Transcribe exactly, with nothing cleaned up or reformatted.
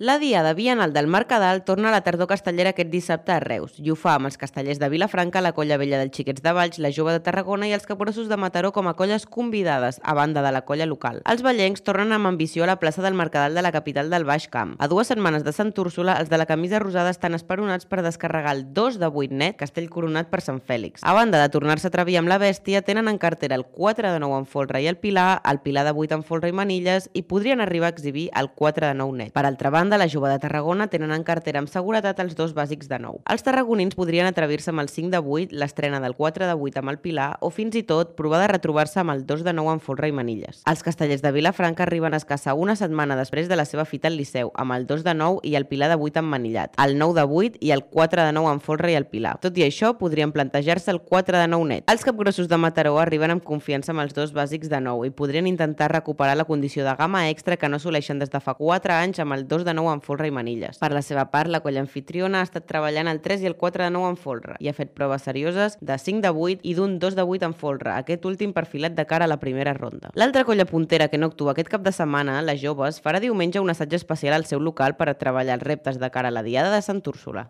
La Diada Bienal del Mercadal torna a la tardor castellera aquest dissabte a Reus i ho fa amb els castellers de Vilafranca, la Colla Vella dels Xiquets de Valls, la Jove de Tarragona i els Capgrossos de Mataró com a colles convidades, a banda de la colla local. Els vallencs tornen amb ambició a la plaça del Mercadal de la capital del Baix Camp. A dues setmanes de Sant Úrsula, els de la camisa rosada estan esperonats per descarregar el dos de vuit net, castell coronat per Sant Fèlix. A banda de tornar-se a atrevir amb la bèstia, tenen en cartera el quatre de nou en folre i el pilar, el pilar de vuit en folre i manilles i podrien arribar a exhibir el quatre de nou net. Per altra banda, la Jove de Tarragona tenen en cartera amb seguretat els dos bàsics de nou. Els tarragonins podrien atrevir-se amb el cinc de vuit, l'estrena del quatre de vuit amb el pilar o fins i tot provar de retrobar-se amb el dos de nou en folre i manilles. Els castellers de Vilafranca arriben a escassa una setmana després de la seva fita al Liceu amb el dos de nou i el pilar de vuit amb manillat, el nou de vuit i el quatre de nou en folre i el pilar. Tot i això, podrien plantejar-se el quatre de nou net. Els capgrossos de Mataró arriben amb confiança amb els dos bàsics de nou i podrien intentar recuperar la condició de gamma extra que no assoleixen des de fa quatre anys amb el dos de nou en folre i manilles. Per la seva part, la colla anfitriona ha estat treballant el tres i el quatre de nou en folre i ha fet proves serioses de cinc de vuit i d'un dos de vuit en folre, aquest últim perfilat de cara a la primera ronda. L'altra colla puntera que no actua aquest cap de setmana, les Joves, farà diumenge un assaig especial al seu local per a treballar els reptes de cara a la Diada de Sant Úrsula.